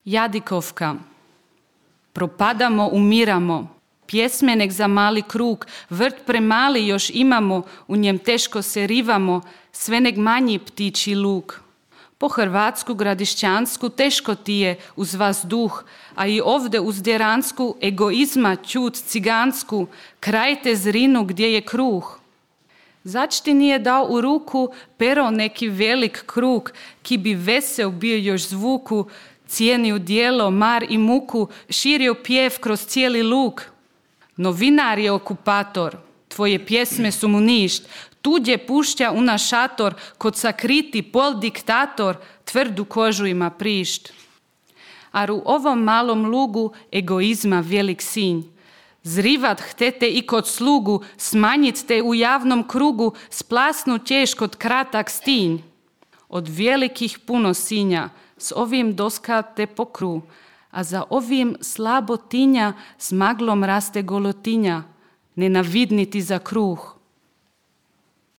Jadikovka. Propadamo, umiramo. Pjesme nek za mali krug, vrt premali još imamo, u njem teško se rivamo, sve nek manji ptiči luk. Po Hrvatsku, Gradišćansku teško ti je uz vas duh, a i ovde uz Djeransku egoizma ćut cigansku, krajte zrinu gdje je kruh. Zač ti nije dao u ruku pero neki velik krug, ki bi vesel bio još zvuku, cijenio dijelo, mar i muku, širio pjev kroz cijeli luk. Novinar je okupator, tvoje pjesme su mu ništ, tuđe pušća u naš šator, kod sakriti pol diktator, tvrdu kožu ima prišt. Ar u ovom malom lugu egoizma velik sinj. Zrivat htete i kod slugu, smanjit te u javnom krugu, splasnut ćeš kod kratak stinj. Od velikih puno sinja, s ovim doska te pokru, a za ovim slabo tinja s maglom raste golotinja, nenavidniti za kruh.